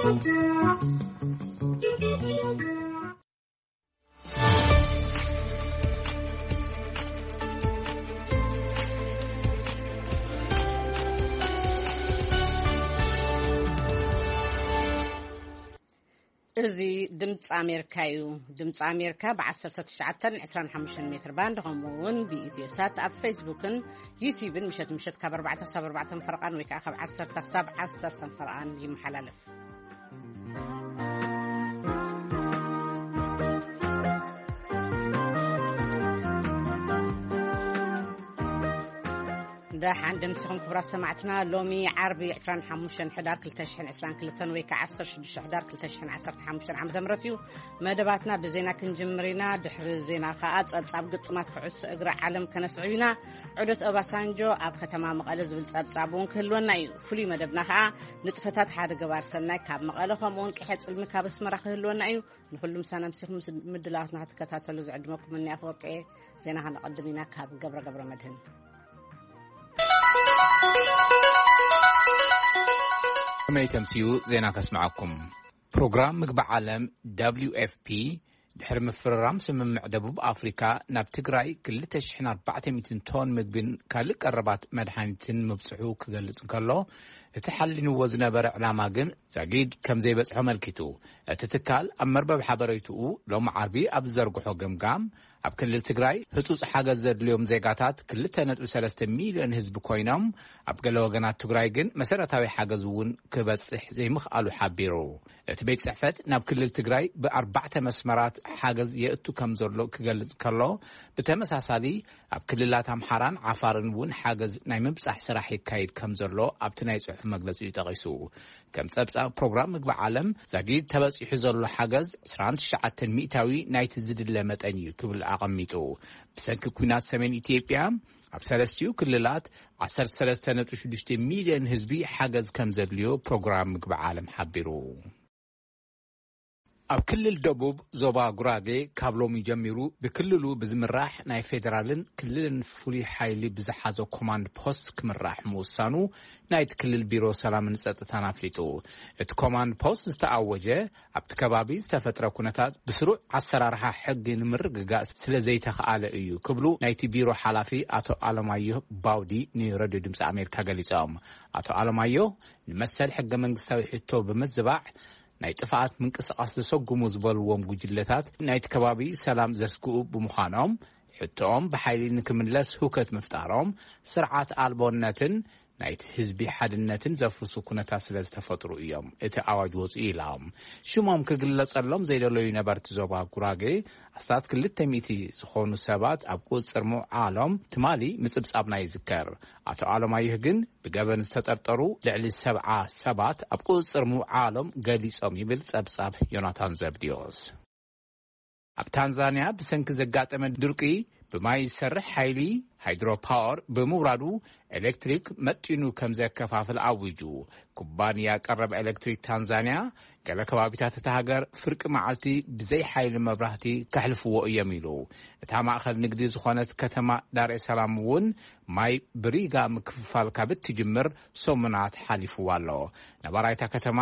እዚ ድምፂ ኣሜሪካ እዩ። ድምፂ ኣሜሪካ ብ19 ን25 ሜትር ባንድ፣ ከምኡ እውን ብኢትዮ ሳት ኣብ ፌስቡክን ዩቲዩብን ምሸት ምሸት ካብ ኣርባዕተ ክሳብ ኣርባዕተ ፈረቓን ወይ ከዓ ካብ ዓሰርተ ክሳብ ዓሰርተ ፈረቓን ይመሓላለፍ። ደሓን ደምሲኹም ክቡራት ሰማዕትና። ሎሚ ዓርቢ 25 ሕዳር 2022 ወይ ከዓ 16 ሕዳር 2015 ዓ.ም እዩ። መደባትና ብዜና ክንጅምር ኢና። ድሕሪ ዜና ከዓ ጸብጻብ ግጥማት ኩዕሶ እግሪ ዓለም ከነስዕብ ኢና። ዑደት ኦባሳንጆ ኣብ ከተማ መቐለ ዝብል ጸብጻብ እውን ክህልወና እዩ። ፍሉይ መደብና ከዓ ንጥፈታት ሓደ ገባር ሰናይ ካብ መቐለ፣ ከምኡ እውን ቅሐ ጽልሚ ካብ ኣስመራ ክህልወና እዩ። ንኹሉም ሳናምሲኹም ምስ ምድላዋትና ክትከታተሉ ዝዕድመኩም እኒ ኣፈወርቂ። ዜና ከነቐድም ኢና ካብ ገብረ ገብረ መድህን። ከመይ ተምስዩ ዜና ከስምዓኩም። ፕሮግራም ምግቢ ዓለም ደብሊው ኤፍ ፒ ድሕሪ ምፍርራም ስምምዕ ደቡብ ኣፍሪካ ናብ ትግራይ 2,400 ቶን ምግብን ካልእ ቀረባት መድሃኒትን ምብፅሑ ክገልጽ እንከሎ፣ እቲ ሓሊንዎ ዝነበረ ዕላማ ግን ዛጊድ ከም ዘይበጽሖ ኣመልኪቱ። እቲ ትካል ኣብ መርበብ ሓበሬትኡ ሎሚ ዓርቢ ኣብ ዝዘርግሖ ገምጋም፣ ኣብ ክልል ትግራይ ህጹጽ ሓገዝ ዘድልዮም ዜጋታት 2.3 ሚልዮን ህዝቢ ኮይኖም፣ ኣብ ገለ ወገናት ትግራይ ግን መሰረታዊ ሓገዝ እውን ክበጽሕ ዘይምኽኣሉ ሓቢሩ። እቲ ቤት ጽሕፈት ናብ ክልል ትግራይ ብኣርባዕተ መስመራት ሓገዝ የእቱ ከም ዘሎ ክገልጽ ከሎ፣ ብተመሳሳሊ ኣብ ክልላት ኣምሓራን ዓፋርን እውን ሓገዝ ናይ ምብጻሕ ስራሕ ይካየድ ከም ዘሎ ኣብቲ ናይ ጽሑፍ መግለጺኡ ጠቒሱ። ከም ጸብጻብ ፕሮግራም ምግቢ ዓለም፣ ዛጊድ ተበጺሑ ዘሎ ሓገዝ 29% ናይቲ ዝድለ መጠን እዩ ክብል ኣቐሚጡ። ብሰንኪ ኲናት ሰሜን ኢትዮጵያ ኣብ ሰለስቲኡ ክልላት 13.6 ሚልዮን ህዝቢ ሓገዝ ከም ዘድልዮ ፕሮግራም ምግቢ ዓለም ሓቢሩ። ኣብ ክልል ደቡብ ዞባ ጉራጌ ካብ ሎሚ ጀሚሩ ብክልሉ ብዝምራሕ ናይ ፌደራልን ክልልን ፍሉይ ሓይሊ ብዝሓዞ ኮማንድ ፖስት ክምራሕ ምውሳኑ ናይቲ ክልል ቢሮ ሰላምን ጸጥታን ኣፍሊጡ። እቲ ኮማንድ ፖስት ዝተኣወጀ ኣብቲ ከባቢ ዝተፈጥረ ኩነታት ብስሩዕ ኣሰራርሓ ሕጊ ንምርግጋእ ስለ ዘይተኽኣለ እዩ ክብሉ ናይቲ ቢሮ ሓላፊ ኣቶ ኣለማየሁ ባውዲ ንረድዮ ድምፂ ኣሜሪካ ገሊጾም። ኣቶ ኣለማየሁ ንመሰል ሕገ መንግስታዊ ሕቶ ብምዝባዕ ናይ ጥፍኣት ምንቅስቓስ ዘሰጉሙ ዝበልዎም ጉጅለታት ናይቲ ከባቢ ሰላም ዘስግኡ ብምዃኖም፣ ሕቶኦም ብሓይሊ ንክምለስ ህውከት ምፍጣሮም ስርዓት ኣልቦነትን ናይቲ ህዝቢ ሓድነትን ዘፍርሱ ኩነታት ስለ ዝተፈጥሩ እዮም እቲ ኣዋጅ ወፅኡ ኢሎም። ሽሞም ክግለጸሎም ዘይደለዩ ነበርቲ ዞባ ጉራጌ ኣስታት 200 ዝኾኑ ሰባት ኣብ ቁፅፅር ምውዓሎም ትማሊ ምፅብፃብና ይዝከር። ኣቶ ኣለማየሁ ግን ብገበን ዝተጠርጠሩ ልዕሊ 70 ሰባት ኣብ ቁፅፅር ምውዓሎም ገሊጾም ይብል ጸብጻብ ዮናታን ዘብድዮስ። ኣብ ታንዛንያ ብሰንኪ ዘጋጠመ ድርቂ ብማይ ዝሰርሕ ሓይሊ ሃይድሮ ፓወር ብምውራዱ ኤሌክትሪክ መጢኑ ከም ዘከፋፍል ኣዊጁ። ኩባንያ ቀረብ ኤሌክትሪክ ታንዛንያ ገለ ከባቢታት እታ ሃገር ፍርቂ መዓልቲ ብዘይ ሓይሊ መብራህቲ ከሕልፍዎ እዮም ኢሉ። እታ ማእኸል ንግዲ ዝኾነት ከተማ ዳር ኤስ ሰላም እውን ማይ ብሪጋ ምክፍፋል ካብ እትጅምር ሰሙናት ሓሊፍዋ ኣሎ። ነባራይ እታ ከተማ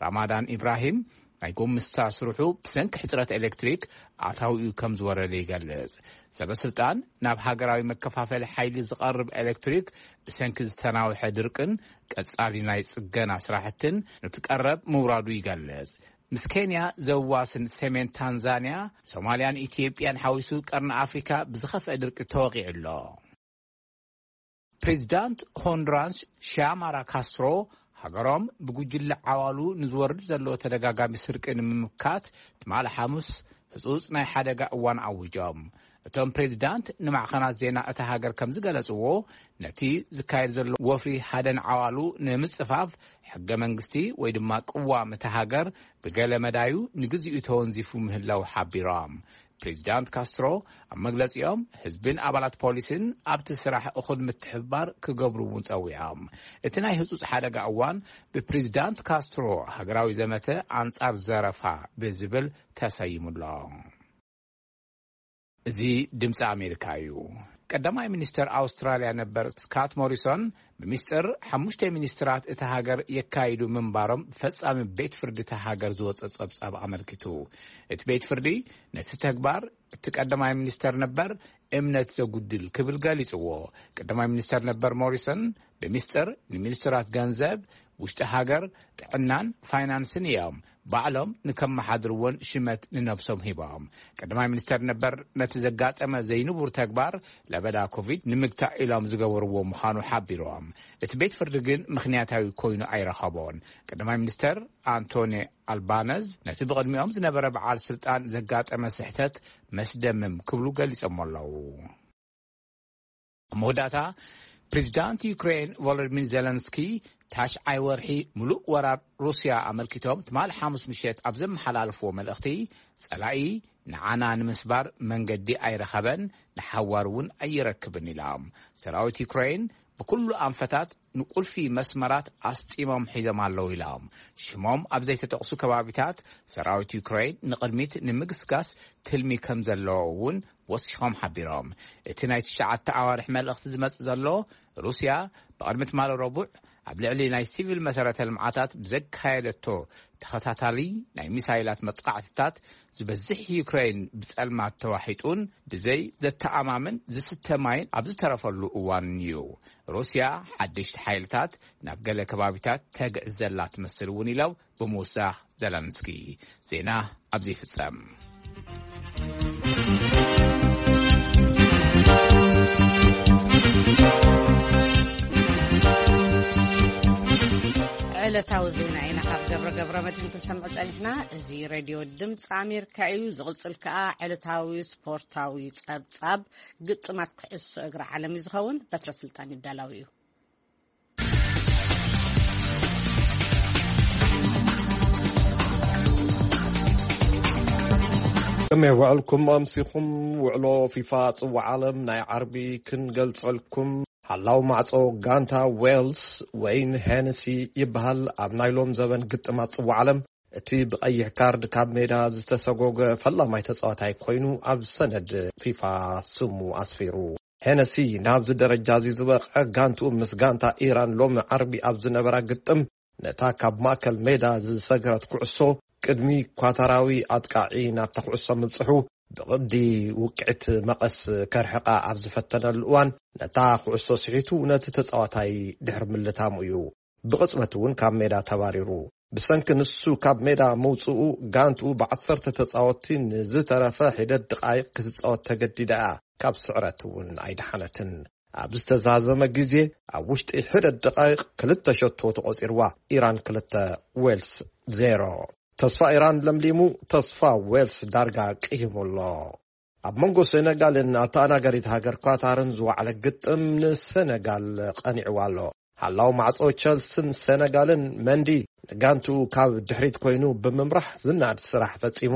ራማዳን ኢብራሂም ናይ ጎምስታ ስርሑ ብሰንኪ ሕፅረት ኤሌክትሪክ ኣታዊኡ ከም ዝወረደ ይገልጽ። ሰበ ስልጣን ናብ ሃገራዊ መከፋፈሊ ሓይሊ ዝቐርብ ኤሌክትሪክ ብሰንኪ ዝተናውሐ ድርቅን ቀጻሊ ናይ ጽገና ስራሕትን ነቲ ቀረብ ምውራዱ ይገልጽ። ምስ ኬንያ ዘዋስን ሰሜን ታንዛንያ፣ ሶማልያን ኢትዮጵያን ሓዊሱ ቀርኒ ኣፍሪካ ብዝኸፍአ ድርቂ ተወቒዑ ኣሎ። ፕሬዚዳንት ሆንዱራስ ሺያማራ ካስትሮ ሃገሮም ብጉጅለ ዓዋሉ ንዝወርድ ዘሎ ተደጋጋሚ ስርቂ ንምምካት ትማሊ ሓሙስ ህጹጽ ናይ ሓደጋ እዋን ኣዊጆም። እቶም ፕሬዚዳንት ንማዕኸናት ዜና እታ ሃገር ከም ዝገለጽዎ፣ ነቲ ዝካየድ ዘሎ ወፍሪ ሓደን ዓዋሉ ንምጽፋፍ ሕገ መንግስቲ ወይ ድማ ቅዋም እታ ሃገር ብገለ መዳዩ ንግዚኡ ተወንዚፉ ምህላው ሓቢሮም። ፕሬዚዳንት ካስትሮ ኣብ መግለጺኦም፣ ህዝብን ኣባላት ፖሊስን ኣብቲ ስራሕ እኹል ምትሕብባር ክገብሩ እውን ጸዊዖም። እቲ ናይ ህጹጽ ሓደጋ እዋን ብፕሬዚዳንት ካስትሮ ሃገራዊ ዘመተ ኣንጻር ዘረፋ ብዝብል ተሰይሙ ኣሎ። እዚ ድምፂ ኣሜሪካ እዩ። ቀዳማይ ሚኒስተር ኣውስትራልያ ነበር ስካት ሞሪሶን ብሚስጥር ሓሙሽተ ሚኒስትራት እታ ሃገር የካይዱ ምንባሮም ፈጻሚ ቤት ፍርዲ እታ ሃገር ዝወጸ ጸብጻብ ኣመልኪቱ። እቲ ቤት ፍርዲ ነቲ ተግባር እቲ ቀዳማይ ሚኒስተር ነበር እምነት ዘጉድል ክብል ገሊጽዎ። ቀዳማይ ሚኒስተር ነበር ሞሪሶን ብሚስጥር ንሚኒስትራት ገንዘብ፣ ውሽጢ ሃገር፣ ጥዕናን ፋይናንስን እዮም ባዕሎም ንከመሓድርዎን ሽመት ንነብሶም ሂቦም። ቀዳማይ ሚኒስተር ነበር ነቲ ዘጋጠመ ዘይንቡር ተግባር ለበዳ ኮቪድ ንምግታእ ኢሎም ዝገበርዎ ምዃኑ ሓቢሮም። እቲ ቤት ፍርዲ ግን ምኽንያታዊ ኮይኑ ኣይረኸቦን። ቀዳማይ ሚኒስተር ኣንቶኒ ኣልባነዝ ነቲ ብቕድሚኦም ዝነበረ በዓል ስልጣን ዘጋጠመ ስሕተት መስደምም ክብሉ ገሊጾም ኣለዉ። ኣብ መወዳእታ፣ ፕሬዚዳንት ዩክሬን ቮሎዲሚር ዜለንስኪ ታሽዓይ ወርሒ ምሉእ ወራር ሩስያ ኣመልኪቶም ትማሊ ሓሙስ ምሸት ኣብ ዘመሓላለፍዎ መልእኽቲ፣ ጸላኢ ንዓና ንምስባር መንገዲ ኣይረኸበን፣ ንሓዋር እውን ኣይረክብን ኢሎም። ሰራዊት ዩክሬን ብኩሉ ኣንፈታት ንቁልፊ መስመራት ኣስጢሞም ሒዞም ኣለዉ ኢሎም። ሽሞም ኣብ ዘይተጠቕሱ ከባቢታት ሰራዊት ዩክሬን ንቕድሚት ንምግስጋስ ትልሚ ከም ዘለዎ እውን ወሲኾም ሓቢሮም። እቲ ናይ ትሽዓተ ኣዋርሕ መልእኽቲ ዝመጽእ ዘሎ፣ ሩስያ ብቕድሚ ትማሊ ረቡዕ ኣብ ልዕሊ ናይ ሲቪል መሰረተ ልምዓታት ብዘካየደቶ ተኸታታሊ ናይ ሚሳይላት መጥቃዕትታት፣ ዝበዝሕ ዩክሬን ብጸልማት ተዋሒጡን ብዘይ ዘተኣማምን ዝስተ ማይን ኣብ ዝተረፈሉ እዋን እዩ። ሩስያ ሓደሽቲ ሓይልታት ናብ ገለ ከባቢታት ተግዕዝ ዘላ ትመስል እውን ኢሎም ብምውሳኽ ዘለንስኪ። ዜና ኣብዚ ይፍጸም። ዕለታዊ ዜና ኢና ካብ ገብረ ገብረ መድህን ክንሰምዕ ጸኒሕና። እዚ ሬድዮ ድምፂ ኣሜሪካ እዩ። ዝቕጽል ከኣ ዕለታዊ ስፖርታዊ ጸብጻብ ግጥማት ኩዕሶ እግሪ ዓለም እዩ ዝኸውን። በትረ ስልጣን ይዳላዊ እዩ። ከመይ ውዕልኩም ኣምሲኹም? ውዕሎ ፊፋ ጽዋዕ ዓለም ናይ ዓርቢ ክንገልጸልኩም። ሓላው ማዕጾ ጋንታ ዌልስ ወይን ሄነሲ ይበሃል። ኣብ ናይ ሎም ዘበን ግጥማት ጽዋዕ ዓለም እቲ ብቐይሕ ካርድ ካብ ሜዳ ዝተሰጎገ ፈላማይ ተጻዋታይ ኮይኑ ኣብ ሰነድ ፊፋ ስሙ ኣስፊሩ። ሄነሲ ናብዚ ደረጃ እዚ ዝበቕዐ ጋንትኡ ምስ ጋንታ ኢራን ሎሚ ዓርቢ ኣብ ዝነበራ ግጥም ነታ ካብ ማእከል ሜዳ ዝሰግረት ኩዕሶ ቅድሚ ኳታራዊ ኣጥቃዒ ናብታ ኩዕሶ ምብጽሑ ብቕዲ ውቅዕት መቐስ ከርሕቓ ኣብ ዝፈተነሉ እዋን ነታ ኩዕሶ ስሒቱ ነቲ ተጻዋታይ ድሕሪ ምልታሙ እዩ። ብቕጽበት እውን ካብ ሜዳ ተባሪሩ። ብሰንኪ ንሱ ካብ ሜዳ ምውጽኡ ጋንትኡ ብዓሰርተ ተጻወትቲ ንዝተረፈ ሒደት ደቓይቕ ክትጻወት ተገዲዳ እያ። ካብ ስዕረት እውን ኣይደሓነትን። ኣብ ዝተዛዘመ ግዜ ኣብ ውሽጢ ሒደት ደቓይቕ ክልተ ሸቶ ተቖጺርዋ። ኢራን ክልተ፣ ዌልስ ዜሮ። ተስፋ ኢራን ለምሊሙ፣ ተስፋ ዌልስ ዳርጋ ቅሂሙ ኣሎ። ኣብ መንጎ ሴነጋልን ኣተኣናጋሪት ሃገር ኳታርን ዝወዓለ ግጥም ንሴነጋል ቀኒዕዋ ኣሎ። ሓላው ማዕጾ ቸልስን ሴነጋልን መንዲ ንጋንትኡ ካብ ድሕሪት ኮይኑ ብምምራሕ ዝናድ ስራሕ ፈጺሙ።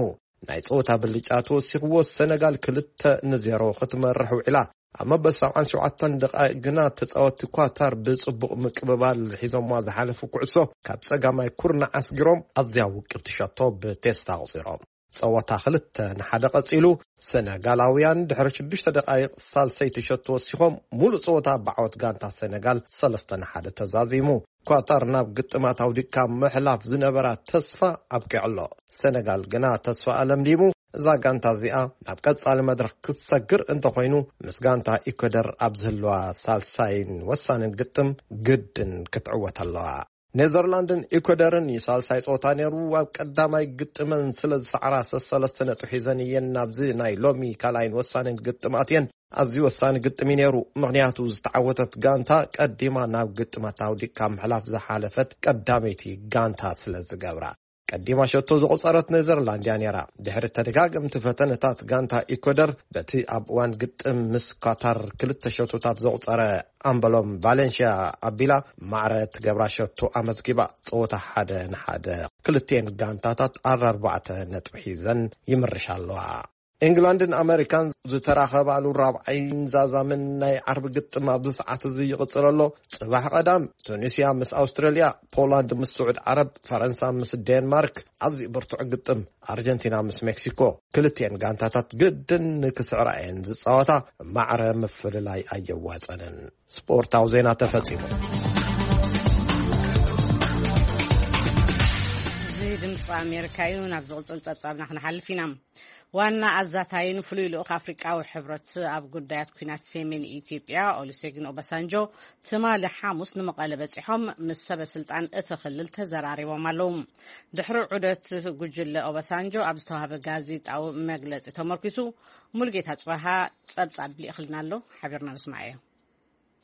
ናይ ጸወታ ብልጫ ተወሲኽዎ ሴነጋል ክልተ ንዜሮ ክትመርሕ ውዒላ። ኣብ መበል ሰብዓን ሸውዓተን ደቓይቕ ግና ተጻወትቲ ኳታር ብጽቡቕ ምቅብባል ሒዞምዋ ዝሓለፉ ኩዕሶ ካብ ጸጋማይ ኩርናዕ ኣስጊሮም ኣዝያ ውቅብቲ ሸቶ ብቴስታ ኣቑጺሮም። ጸወታ ክልተ ንሓደ ቀጺሉ፣ ሰነጋላውያን ድሕሪ ሽዱሽተ ደቓይቕ ሳልሰይቲ ሸቶ ወሲኾም፣ ሙሉእ ጸወታ ብዓወት ጋንታ ሰነጋል ሰለስተ ንሓደ ተዛዚሙ። ኳታር ናብ ግጥማት ኣውዲቅካ ምሕላፍ ዝነበራ ተስፋ ኣብቂዑ ኣሎ። ሰነጋል ግና ተስፋኣ ለምሊሙ፣ እዛ ጋንታ እዚኣ ናብ ቀጻሊ መድረኽ ክትሰግር እንተኾይኑ፣ ምስ ጋንታ ኢኳደር ኣብ ዝህልዋ ሳልሳይን ወሳንን ግጥም ግድን ክትዕወት ኣለዋ። ኔዘርላንድን ኢኳደርን እዩ ሳልሳይ ጸወታ ነይሩ። ኣብ ቀዳማይ ግጥመን ስለ ዝሰዓራ ሰሰለስተ ነጥቢ ሒዘን እየን ናብዚ ናይ ሎሚ ካልኣይን ወሳንን ግጥም ኣትየን። ኣዝዩ ወሳኒ ግጥም እዩ ነይሩ፣ ምኽንያቱ ዝተዓወተት ጋንታ ቀዲማ ናብ ግጥማት ኣውዲቕካ ምሕላፍ ዝሓለፈት ቀዳመይቲ ጋንታ ስለ ዝገብራ። ቀዲማ ሸቶ ዘቑጸረት ኔዘርላንድ እያ ነይራ። ድሕሪ ተደጋገምቲ ፈተነታት ጋንታ ኢኳደር በቲ ኣብ እዋን ግጥም ምስ ኳታር ክልተ ሸቶታት ዘቑጸረ ኣምበሎም ቫሌንሽያ ኣቢላ ማዕረ እትገብራ ሸቶ ኣመዝጊባ። ጸወታ ሓደ ንሓደ ክልቲኤን ጋንታታት ኣርባዕተ ነጥቢ ሒዘን ይምርሻ ኣለዋ። ኤንግላንድን ኣመሪካን ዝተራኸባሉ ራብዓይን ዛዛምን ናይ ዓርቢ ግጥም ኣብዚ ሰዓት እዚ ይቕጽል ኣሎ። ጽባሕ ቀዳም ቱኒስያ ምስ ኣውስትራልያ፣ ፖላንድ ምስ ስዑድ ዓረብ፣ ፈረንሳ ምስ ዴንማርክ ኣዝዩ ብርቱዕ ግጥም፣ ኣርጀንቲና ምስ ሜክሲኮ። ክልቲኤን ጋንታታት ግድን ንክስዕራ እየን ዝጻወታ። ማዕረ ምፍልላይ ኣየዋጸንን። ስፖርታዊ ዜና ተፈጺሙ። እዚ ድምፂ ኣሜሪካ እዩ። ናብ ዝቕፅል ፀብፃብና ክንሓልፍ ኢና። ዋና ኣዛታይን ፍሉይ ልኡኽ ኣፍሪቃዊ ሕብረት ኣብ ጉዳያት ኲናት ሰሜን ኢትዮጵያ ኦሉሴጉን ኦባሳንጆ ትማሊ ሓሙስ ንመቐለ በፂሖም ምስ ሰበ ስልጣን እቲ ክልል ተዘራሪቦም ኣለዉ። ድሕሪ ዑደት ጉጅለ ኦባሳንጆ ኣብ ዝተዋሃበ ጋዜጣዊ መግለፂ ተመርኪሱ ሙሉጌታ ጽባሃ ጸብጻብ ልኢኽልና ኣሎ። ሓቢርና ንስማዓዮ።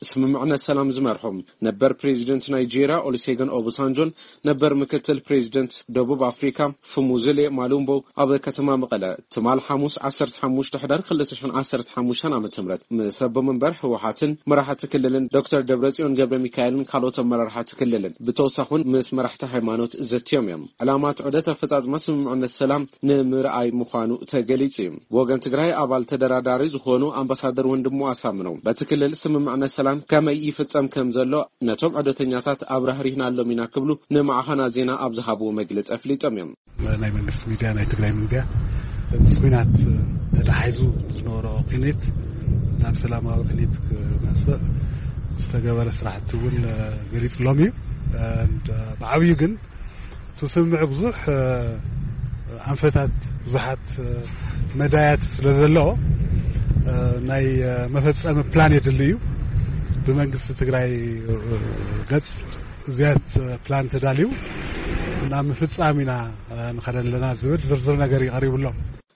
ስምምዕነት ሰላም ዝመርሖም ነበር ፕሬዚደንት ናይጄርያ ኦሉሴጉን ኦባሳንጆን ነበር ምክትል ፕሬዚደንት ደቡብ ኣፍሪካ ፉሙዝሌ ማሉምቦ ኣብ ከተማ መቐለ ትማል ሓሙስ ዓሰርተ ሓሙሽተ ሕዳር ክልተ ሽሕን ዓሰርተ ሓሙሽተን ዓመተ ምህረት ምስ ኣቦ መንበር ህወሓትን መራሕቲ ክልልን ዶክተር ደብረጽዮን ገብረ ሚካኤልን ካልኦት ኣመራርሓቲ ክልልን ብተወሳኹን ምስ መራሕቲ ሃይማኖት ዘትዮም እዮም። ዕላማ እቲ ዑደት ኣፈጻጽማ ስምምዕነት ሰላም ንምርኣይ ምዃኑ ተገሊጹ እዩ። ብወገን ትግራይ ኣባል ተደራዳሪ ዝኾኑ ኣምባሳደር ወንድሙ ኣሳምነው በቲ ክልል ስምምዕነት ሰላም ከመይ ይፍጸም ከም ዘሎ ነቶም ዑደተኛታት ኣብራህሪህናሎም ኢና ክብሉ ንማዕኸናት ዜና ኣብ ዝሃብዎ መግለጺ ኣፍሊጦም እዮም። ናይ መንግስቲ ሚድያ፣ ናይ ትግራይ ሚድያ ምስ ኲናት ተተሓሒዙ ዝነበሮ ቅኒት ናብ ሰላማዊ ቅኒት ክመፅእ ዝተገበረ ስራሕቲ እውን ገሊፅሎም እዩ። ብዓብዩ ግን እቲ ስምምዕ ብዙሕ ኣንፈታት፣ ብዙሓት መዳያት ስለ ዘለዎ ናይ መፈፀሚ ፕላን የድሊ እዩ። ብመንግስቲ ትግራይ ገፅ እዚያት ፕላን ተዳልዩ ናብ ምፍፃም ኢና ንኸደ ኣለና ዝብል ዝርዝር ነገር እዩ ቀሪቡ ኣሎ።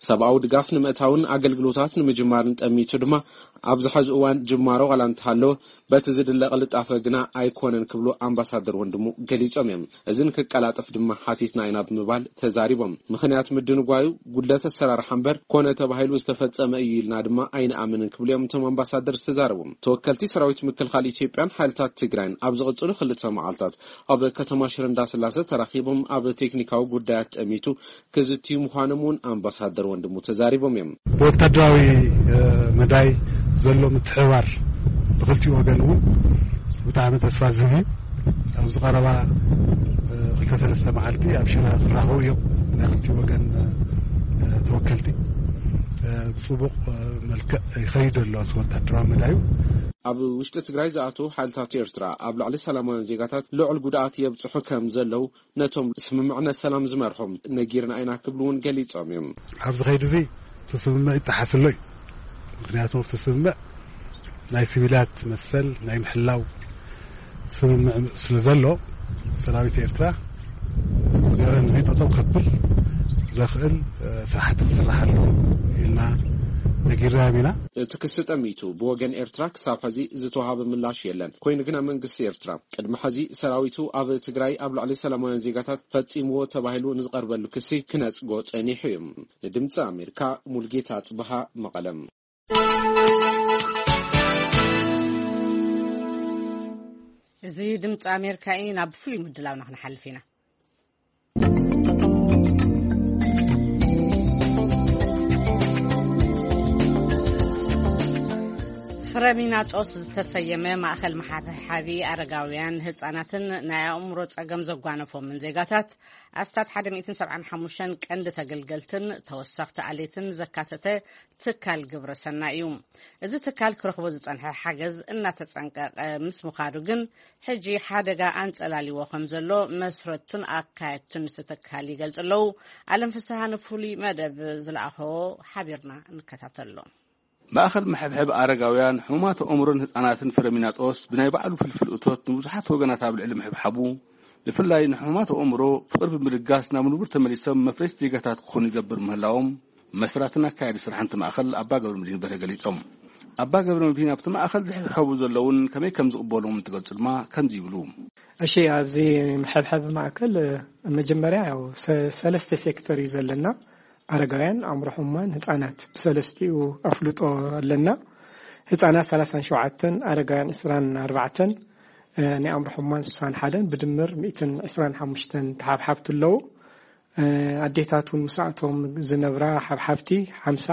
ሰብኣዊ ድጋፍ ንምእታውን ኣገልግሎታት ንምጅማርን ጠሚቱ ድማ ኣብዚ ሐዚ እዋን ጅማሮ ዋላ እንተሃለወ በቲ ዝድለ ቅልጣፈ ግና ኣይኮነን ክብሉ ኣምባሳደር ወንድሙ ገሊጾም እዮም። እዚ ንክቀላጠፍ ድማ ሓቲትና ኢና ብምባል ተዛሪቦም። ምኽንያት ምድንጓዩ ጉድለት ኣሰራርሓ እምበር ኮነ ተባሂሉ ዝተፈጸመ እዩ ኢልና ድማ ኣይንኣምንን ክብሉ እዮም እቶም ኣምባሳደር ዝተዛረቡ። ተወከልቲ ሰራዊት ምክልኻል ኢትዮጵያን ሓይልታት ትግራይን ኣብ ዝቕጽሉ ክልተ መዓልታት ኣብ ከተማ ሽረ እንዳስላሰ ተራኺቦም ኣብ ቴክኒካዊ ጉዳያት ጠሚቱ ክዝትዩ ምዃኖም እውን ኣምባሳደር ወንድሙ ተዛሪቦም እዮም። ብወታደራዊ መዳይ ዘሎ ምትሕብባር ብክልቲኡ ወገን እውን ብጣዕሚ ተስፋ ዝህብ እዩ። ኣብዚ ቀረባ ክልተ ሰለስተ መዓልቲ ኣብ ሽረ ክራኸቡ እዮም ናይ ክልቲኡ ወገን ተወከልቲ። ብፅቡቕ መልክዕ ይኸይድ ኣሎ እዚ ወታደራዊ መዳዩ። ኣብ ውሽጢ ትግራይ ዝኣተዉ ሓይልታት ኤርትራ ኣብ ልዕሊ ሰላማውያን ዜጋታት ልዑል ጉድኣት የብፅሑ ከም ዘለዉ ነቶም ስምምዕነት ሰላም ዝመርሖም ነጊርና ኢና ክብሉ እውን ገሊጾም እዮም። ኣብዚ ኸይዲ እዚ እቲ ስምምዕ ይጠሓስ ኣሎ እዩ። ምክንያቱ እቲ ስምምዕ ናይ ሲቪላት መሰል ናይ ምሕላው ስምምዕ ስለ ዘሎ ሰራዊት ኤርትራ ገበን እዚ ጠጠው ከብል ዘኽእል ስራሕቲ ክስራሕ ኣሎ ኢልና ነጊርናዮም ኢና። እቲ ክሲ ጠሚቱ ብወገን ኤርትራ ክሳብ ሕዚ ዝተዋሃበ ምላሽ የለን። ኮይኑ ግና መንግስቲ ኤርትራ ቅድሚ ሕዚ ሰራዊቱ ኣብ ትግራይ ኣብ ልዕሊ ሰላማውያን ዜጋታት ፈጺምዎ ተባሂሉ ንዝቐርበሉ ክሲ ክነጽጎ ጸኒሑ እዩ። ንድምፂ ኣሜሪካ ሙልጌታ ጽብሃ መቐለም። እዚ ድምፂ ኣሜሪካ እዩ። ናብ ፍሉይ ምድላውና ክንሓልፍ ኢና። ፍረሚናጦስ ዝተሰየመ ማእኸል መሓብሓቢ ኣረጋውያን ህፃናትን ናይ ኣእምሮ ፀገም ዘጓነፎምን ዜጋታት ኣስታት ሓደ ሚእትን ሰብዓን ሓሙሽተን ቀንዲ ተገልገልትን ተወሰኽቲ ኣሌትን ዘካተተ ትካል ግብረ ሰናይ እዩ። እዚ ትካል ክረኽቦ ዝፀንሐ ሓገዝ እናተፀንቀቐ ምስ ምዃዱ ግን ሕጂ ሓደጋ ኣንፀላሊዎ ከም ዘሎ መስረቱን ኣካየድቱን እቲ ትካል ይገልፁ ኣለዉ። ኣለም ፍስሃ ንፍሉይ መደብ ዝለኣኸዎ ሓቢርና ንከታተሎ። ማእኸል መሐብሐብ ኣረጋውያን፣ ሕሙማት ኣእምሮን ህፃናትን ፍረሚናጦስ ብናይ ባዕሉ ፍልፍል እቶት ንብዙሓት ወገናት ኣብ ልዕሊ ምሕብሓቡ፣ ብፍላይ ንሕሙማት ኣእምሮ ፍቕሪ ብምልጋስ ናብ ንቡር ተመሊሶም መፍረይቲ ዜጋታት ክኾኑ ይገብር ምህላዎም መስራትን ኣካያዲ ስራሕን እቲ ማእኸል ኣባ ገብረ መድህን በርሀ ገሊፆም። ኣባ ገብረ መድህን ኣብቲ ማእኸል ዝሕብሐቡ ዘለውን ከመይ ከም ዝቕበሎም እንትገልፁ ድማ ከምዚ ይብሉ። እሺ፣ ኣብዚ መሐብሐቢ ማእከል መጀመርያ ያው ሰ-፣ ሰለስተ ሴክተር እዩ ዘለና። ኣረጋውያን፣ ኣእምሮ ሕሙማን፣ ህፃናት ብሰለስቲኡ ኣፍልጦ ኣለና። ህፃናት ሰላሳን ሸውዓተን፣ ኣረጋውያን ዕስራን ኣርባዕተን፣ እ፣ ናይ ኣእምሮ ሕሙማን ስሳን ሓደን፣ ብድምር ሚእትን ዕስራን ሓሙሽተን ተሓብሓብቲ ኣለዉ። ኣዴታት እውን ምስኣቶም ዝነብራ ሓብሓብቲ ሓምሳ፣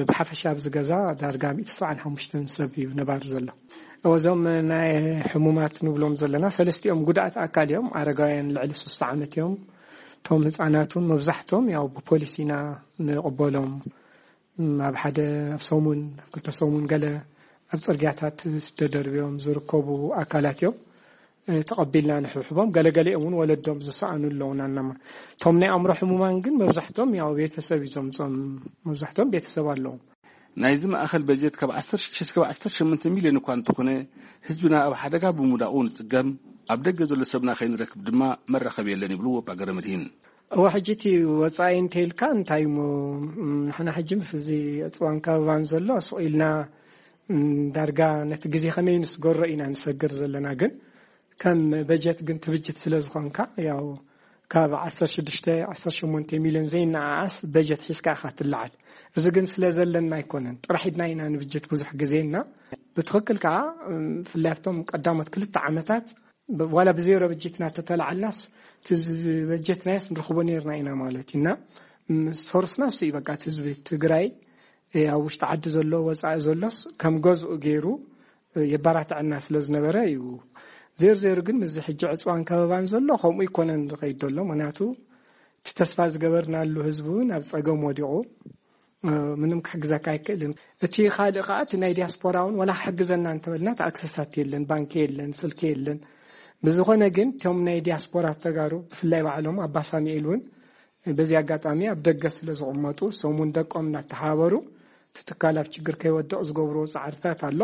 ብሓፈሻ ኣብዚ ገዛ ዳርጋ ሚእቲ ሰብዓን ሓሙሽተን ሰብ እዩ ነባሪ ዘሎ። እዞም ናይ ሕሙማት ንብሎም ዘለና ሰለስቲኦም ጉዳኣት ኣካል እዮም። ኣረጋውያን ልዕሊ ስሳ ዓመት እዮም። እቶም ህፃናት እውን መብዛሕቶም ያው ብፖሊስ ኢና ንቕበሎም። ኣብ ሓደ ኣብ ሰሙን፣ ክልተ ሰሙን ገለ ኣብ ጽርግያታት ተደርብዮም ዝርከቡ ኣካላት እዮም ተቐቢልና ንሕብሕቦም። ገለገሊኦም እውን ወለዶም ዝሰኣኑ ኣለውና እናማ። እቶም ናይ ኣእምሮ ሕሙማን ግን መብዛሕቶም ያው ቤተሰብ እዩ ዘምጾም። መብዛሕቶም ቤተሰብ ኣለዎም። ናይዚ ማእኸል በጀት ካብ ዓሰርተ ሽዱሽተ እስካብ ዓሰርተ ሸሞንተ ሚልዮን እኳ እንተኾነ፣ ህዝብና ኣብ ሓደጋ ብምውዳቑ ንጽገም፣ ኣብ ደገ ዘሎ ሰብና ከይንረክብ ድማ መራኸቢ የለን ይብሉ ኣባ ገረመድሂን። እወ፣ ሕጂ እቲ ወጻኢ እንተይልካ እንታይ እሞ፣ ንሕና ሕጂ ምስ እዚ ዕፅዋን ከበባን ዘሎ ስቕ ኢልና ዳርጋ ነቲ ግዜ ከመይ ንስገሮ ኢና ንሰግር ዘለና። ግን ከም በጀት ግን ትብጅት ስለ ዝኾንካ፣ ያው ካብ ዓሰርተ ሽዱሽተ ዓሰርተ ሸሞንተ ሚልዮን ዘይነኣኣስ በጀት ሒዝካ ኢኻ ትለዓል። እዚ ግን ስለ ዘለና ኣይኮነን፣ ጥራሕ ኢድና ኢና ንብጀት ብዙሕ ግዜ እና ብትኽክል ከዓ ብፍላይ ኣብቶም ቀዳሞት ክልተ ዓመታት ዋላ ብዜሮ በጀት እናተተላዓልናስ እቲ ዝበጀትናዮስ ንረኽቦ ነርና ኢና ማለት እዩ። እና ሶርስና እሱ እዩ። በቃ እቲ ህዝቢ ትግራይ ኣብ ውሽጢ ዓዲ ዘሎ ወፃኢ ዘሎስ ከም ገዝኡ ገይሩ የባራትዐና ስለ ዝነበረ እዩ። ዜር ዜሩ ግን ምስዚ ሕጂ ዕፅዋን ከበባን ዘሎ ከምኡ ይኮነን ዝኸይድ ዘሎ። ምክንያቱ እቲ ተስፋ ዝገበርናሉ ህዝቢ እውን ኣብ ፀገም ወዲቑ ምንም ክሕግዘካ ኣይክእልን። እቲ ካልእ ከዓ እቲ ናይ ዲያስፖራ እውን ዋላ ክሕግዘና እንተበልና እቲ ኣክሰሳት የለን፣ ባንኪ የለን፣ ስልኪ የለን። ብዝኾነ ግን እቶም ናይ ዲያስፖራ ተጋሩ ብፍላይ ባዕሎም ኣባ ሳሙኤል እውን በዚ ኣጋጣሚ ኣብ ደገ ስለ ዝቕመጡ ሰሙን ደቆም እናተሓባበሩ እቲ ትካል ኣብ ችግር ከይወድቕ ዝገብርዎ ፃዕርታት ኣሎ።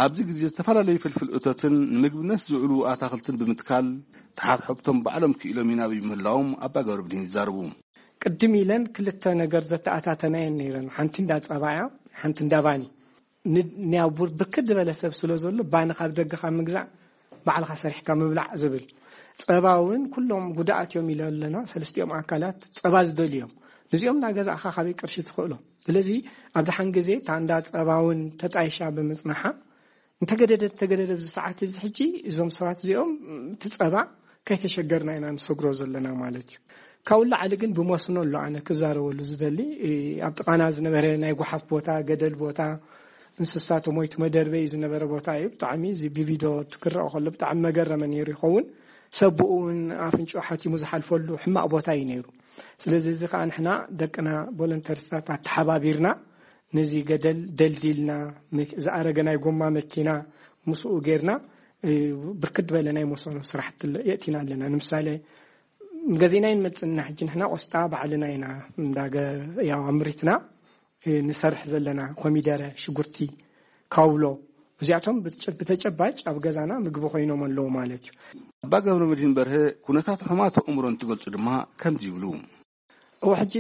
ኣብዚ ግዜ ዝተፈላለዩ ፍልፍል እቶትን ንምግብነት ዝውዕሉ ኣታኽልትን ብምትካል ተሓብሐብቶም ባዕሎም ክኢሎም ይናብዩ ምህላዎም ኣባ ገብረብድሂን ይዛረቡ። ቅድም ኢለን ክልተ ነገር ዘተኣታተናየን ነይረን። ሓንቲ እንዳ ጸባ እያ፣ ሓንቲ እንዳ ባኒ። ን-፣ ንያው ቡር-፣ ብርክት ዝበለ ሰብ ስለ ዘሎ ባኒ ካብ ደገ ካብ ምግዛእ ባዕልኻ ሰሪሕካ ምብላዕ ዝብል። ጸባ እውን ኩሎም ጉዳኣት እዮም ኢለ ኣለና። ሰለስቲኦም ኣካላት ጸባ ዝደልዩ እዮም። ንዚኦም እናገዛእኻ ካበይ ቅርሺ ትኽእሎ? ስለዚ ኣብ ደሓን ግዜ እታ እንዳ ጸባ እውን ተጣይሻ ብምጽናሓ እንተገደደ፣ እንተገደደ ኣብዚ ሰዓት እዚ ሕጂ እዞም ሰባት እዚኦም እቲ ጸባ ከይተሸገርና ኢና ንሰግሮ ዘለና ማለት እዩ። ካብኡ ላዕሊ ግን ብመስኖ ኣሎ ኣነ ክዛረበሉ ዝደሊ። ኣብ ጥቓና ዝነበረ ናይ ጓሓፍ ቦታ፣ ገደል ቦታ፣ እንስሳ ተሞይቱ መደርበይ ዝነበረ ቦታ እዩ። ብጣዕሚ እዚ ብቪድዮ ትክረኦ ከሎ ብጣዕሚ መገረመ ነይሩ ይኸውን። ሰብ ብኡ እውን ኣፍንጭኡ ሓቲሙ ዝሓልፈሉ ሕማቕ ቦታ እዩ ነይሩ። ስለዚ እዚ ከዓ ንሕና ደቅና ቮለንተሪስታት ኣተሓባቢርና ነዚ ገደል ደልዲልና፣ መኪ-፣ ዝኣረገ ናይ ጎማ መኪና ምስኡ ጌርና፣ እ፣ ብርክት ዝበለ ናይ መሰኖ ስራሕቲ ለ-፣ የእቲና ኣለና። ንምሳሌ፣ ገዚእና ይንመጽእ እና ሕጂ ንሕና ቆስጣ ባዕልና ኢና እንዳገ-፣ ያው ኣምሪትና፣ እ፣ ንሰርሕ ዘለና። ኮሚደረ፣ ሽጉርቲ፣ ካውሎ፣ እዚኣቶም ብትጨ-፣ ብተጨባጭ ኣብ ገዛና ምግቢ ኮይኖም ኣለዉ ማለት እዩ። ኣባ ገብረ መድህን በርሀ ኩነታት ሕማት ኣእምሮ እንትገልጹ ድማ ከምዚ ይብሉ። እወ፣ ሕጂ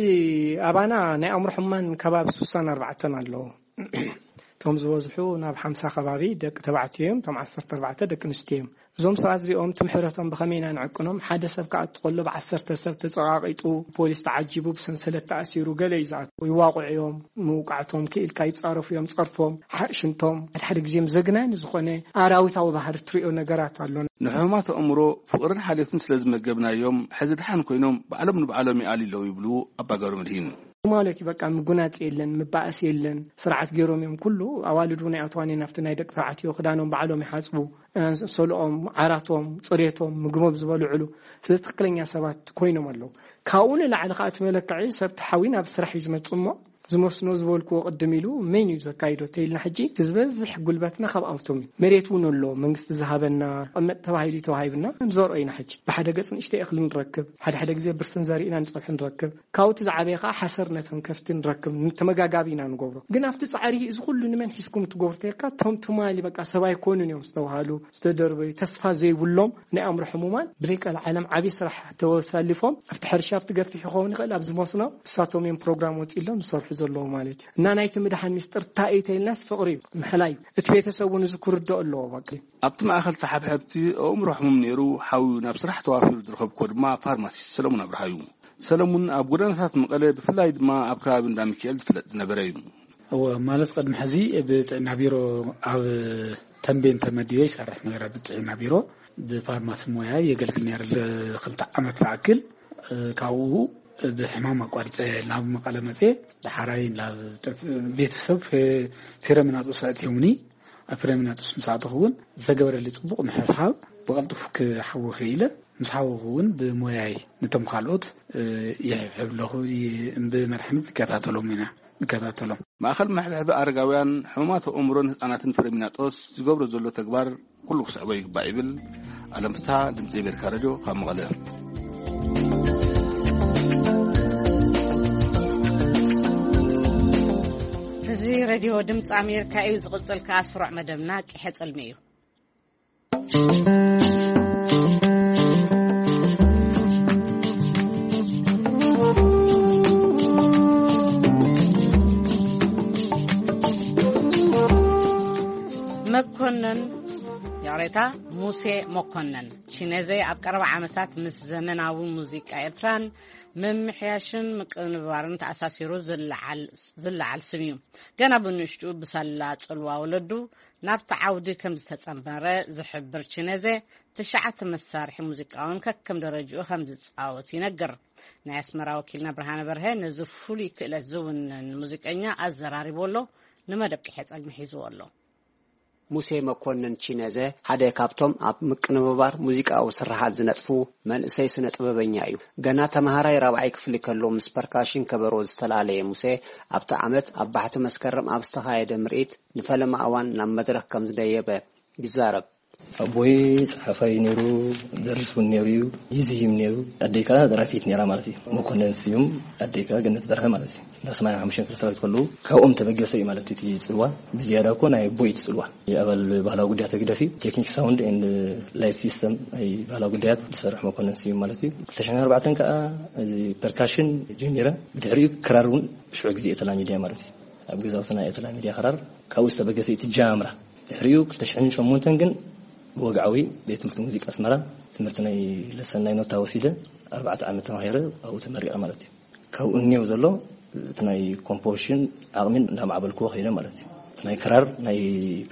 ኣባና ናይ ኣእምሮ ሕሙማን ከባቢ ስሳን ኣርባዕተን ኣለዉ። እቶም ዝበዝሑ ናብ ሓምሳ ከባቢ ደቂ ተባዕትዮ እዮም፣ እቶም ዓሰርተ ኣርባዕተ ደቂ ኣንስትዮ እዮም። እዞም ሰባት እዚኦም ትምሕረቶም ብኸመይ ኢና ንዕቅኖም? ሓደ ሰብ ክኣቱ ከሎ ብዓሰርተ ሰብ ተጸቓቒጡ፣ ፖሊስ ተዓጂቡ፣ ብሰንሰለት ተኣሲሩ፣ ገለ እዩ ዝኣቱ። ይዋቕዑ እዮም፣ ምውቃዕቶም ክኢልካ ይጻረፉ እዮም፣ ጸርፎም፣ ሓ-፣ ሽንቶም፣ ሓደ ሓደ ግዜ ዘግናኒ ዝኾነ ኣራዊታዊ ባህሪ ትሪኦ ነገራት ኣሎ። ንሕሙማት ኣእምሮ ፍቕርን ሓልዮትን ስለ ዝመገብናዮም፣ ሕዚ ደሓን ኮይኖም ባዕሎም ንባዕሎም ይኣልዩ ኣለዉ ይብሉ ኣባ ገብረ መድሂን። ማለት እዩ፣ በቃ ምጉናጽ የለን፣ ምባእስ የለን። ስርዓት ገይሮም እዮም ኩሉ። ኣዋልድ እውን ኣይኣትዋን እየን ኣብቲ ናይ ደቂ ተባዕትዮ። ክዳኖም ባዕሎም ይሓጽቡ፣ ኣንሶልኦም፣ ዓራቶም፣ ጽሬቶም፣ ምግቦም ዝበልዕሉ። ስለዚ ትክክለኛ ሰባት ኮይኖም ኣለዉ። ካብኡ ንላዕሊ ከዓ እቲ መለክዒ ሰብ ተሓዊ ናብ ስራሕ እዩ ዝመጽእ እሞ፣ ዝመስኖ ዝበልክዎ ቅድም ኢሉ መን እዩ ዘካይዶ ተይልና፣ ሕጂ እቲ ዝበዝሕ ጉልበትና ካብ ኣብቶም እዩ። መሬት እውን ኣሎ፣ መንግስቲ ዝሃበና፣ ቀመጥ ተባሂሉ ተዋሂብና፣ ንዘርኦ ኢና። ሕጂ ብሓደ ገጽ ንእሽተይ እኽሊ ንረክብ፣ ሓደ ሓደ ግዜ ብርስን ዘሪእና ንጸብሒ ንረክብ። ካብኡ እቲ ዝዓበየ ከዓ ሓሰር ነተን ከፍቲ ንረክብ፣ ተመጋጋቢ ኢና ንገብሮ። ግን ኣብቲ ጻዕሪ እዚ ኩሉ ንመን ሒዝኩም ትገብሩ ተልካ፣ እቶም ትማሊ በቃ ሰብ ኣይኮኑን እዮም ዝተባሃሉ፣ ዝተደርበዩ፣ ተስፋ ዘይብሎም ናይ ኣእምሮ ሕሙማን ብዘይ ቀልዓለም ዓብዪ ስራሕ ተወሳሊፎም ኣብቲ ሕርሻ ኣብቲ ገፊሕ ይኸውን ይኽእል፣ ኣብዚ መስኖ እሳቶም እዮም ፕሮግራም ወፂሎም ዝሰርሑ ዘለዉ ማለት እዩ። እና ናይቲ ምድሓን ሚስጥር እንታይ እዩ ተይልናስ ፍቕሪ እዩ፣ ምሕላይ እዩ። እቲ ቤተሰብ እውን እዚ ክርድኦ ኣለዎ። በቃ ኣብቲ ማእኸል ተሓብሐብቲ ኣእምሮ ሕሙም ነይሩ ሓውዩ ናብ ስራሕ ተዋፊሩ ዝረኸብኮ ድማ ፋርማሲስት ሰለሙን ኣብርሃ እዩ። ሰለሙን ኣብ ጎደናታት መቐለ ብፍላይ ድማ ኣብ ከባቢ እንዳ ሚካኤል ዝፍለጥ ዝነበረ እዩ። እወ፣ ማለት ቅድሚ ሕዚ ብጥዕና ቢሮ ኣብ ተንቤን ተመዲበ ይሰርሕ ነይረ። ብጥዕና ቢሮ ብፋርማሲ ሞያ የገልግል ነይረ። ለክልተ ዓመት ዝኣክል ካብኡ ብሕማም ኣቋሪፀ ናብ መቐለ መፅየ። ዳሕራይ ናብ ጥፍ- ቤተሰብ ፌ- ፌረሚናጦስ ኣእትዮምኒ። ኣብ ፌረሚናጦስ ምስ ኣተኹ እውን ዝተገበረሊ ፅቡቕ ምሕብሓብ ብቐልጡፍ ክሓዊ ክኢለ። ምስ ሓወኹ እውን ብሞያይ ነቶም ካልኦት ይሕብሕብ ኣለኹ። ብመድሓኒት ንከታተሎም ኢና ንከታተሎም። ማእኸል መሕብሐቢ ኣረጋውያን፣ ሕሙማት ኣእምሮን ህፃናትን ፍሬሚናጦስ ዝገብሮ ዘሎ ተግባር ኩሉ ክስዕቦ ይግባእ ይብል። ኣለም ፍስሓ፣ ድምፂ ኣሜሪካ ሬድዮ፣ ካብ መቐለ። እዚ ሬድዮ ድምፂ ኣሜሪካ እዩ። ዝቕፅል ከኣ ስሩዕ መደብና ቂሐ ጽልሚ እዩ። መኮነን፣ ይቕሬታ፣ ሙሴ መኮነን ቺነዘ ኣብ ቀረባ ዓመታት ምስ ዘመናዊ ሙዚቃ ኤርትራን ምምሕያሽን ምቅንባርን ተኣሳሲሩ ዝለዓል ዝለዓል ስም እዩ። ገና ብንእሽቱ ብሳላ ጽልዋ ወለዱ ናብቲ ዓውዲ ከም ዝተጸንበረ ዝሕብር ቺነዘ፣ ትሽዓተ መሳርሒ ሙዚቃ እውን ከከም ደረጅኡ ከም ዝጻወት ይነግር። ናይ ኣስመራ ወኪልና ብርሃነ በርሀ ነዚ ፍሉይ ክእለት ዝውንን ሙዚቀኛ ኣዘራሪቡ ኣሎ። ንመደብ ቂሐ ጸልሚ ሒዝዎ ኣሎ። ሙሴ መኮንን ቺነዘ ሓደ ካብቶም ኣብ ምቅንብባር ሙዚቃዊ ስርሓት ዝነጥፉ መንእሰይ ስነ ጥበበኛ እዩ። ገና ተምሃራይ ራብዓይ ክፍሊ ከሎ ምስ ፐርካሽን ከበሮ ዝተላለየ ሙሴ፣ ኣብቲ ዓመት ኣብ ባሕቲ መስከረም ኣብ ዝተኻየደ ምርኢት ንፈለማ እዋን ናብ መድረኽ ከም ዝደየበ ይዛረብ። ኣቦይ ጸሓፋይ ነይሩ፣ ደርስ እውን ነይሩ እዩ፣ ይዝይም ነይሩ። ኣደይ ከኣ ደራፊት ነይራ ማለት እዩ። መኮነን ስዩም፣ ኣደይ ከኣ ገነት በርሀ ማለት እዩ። እንዳ ሰማንያ ሓሙሽተ ክፍለ ሰራዊት ከለዉ ካብኦም ተበገሰ እዩ ማለት እቲ ጽልዋ። ብዝያዳ እኮ ናይ ኣቦይ እቲ ጽልዋ። ኣባል ባህላዊ ጉዳያት ህግደፍ እዩ። ቴክኒክ ሳውንድ ኤንድ ላይት ሲስተም ናይ ባህላዊ ጉዳያት ዝሰርሕ መኮነን ስዩም ማለት እዩ። ክልተ ሽሕን ኣርባዕተን ከኣ እዚ ፐርካሽን ጀሚረ። ብድሕሪኡ ክራር እውን ሽዑ ግዜ እየ ተላሚድያ ማለት እዩ። ኣብ ገዛውትና እየ ተላሚድያ ክራር። ካብኡ ዝተበገሰ እዩ እቲ ጃምራ። ድሕሪኡ ክልተ ሽሕን ሸሞንተን ግን ብወግዓዊ ቤት ትምህርቲ ሙዚቃ ኣስመራ ትምህርቲ ናይ ለሰን ናይ ኖታ ወሲደ፣ ኣርባዕተ ዓመት ተማሂረ ኣብኡ ተመሪቐ ማለት እዩ። ካብኡ እኒው ዘሎ እቲ ናይ ኮምፖዚሽን ዓቕሚ እንዳማዕበልክዎ ከይደ ማለት እዩ። እቲ ናይ ክራር፣ ናይ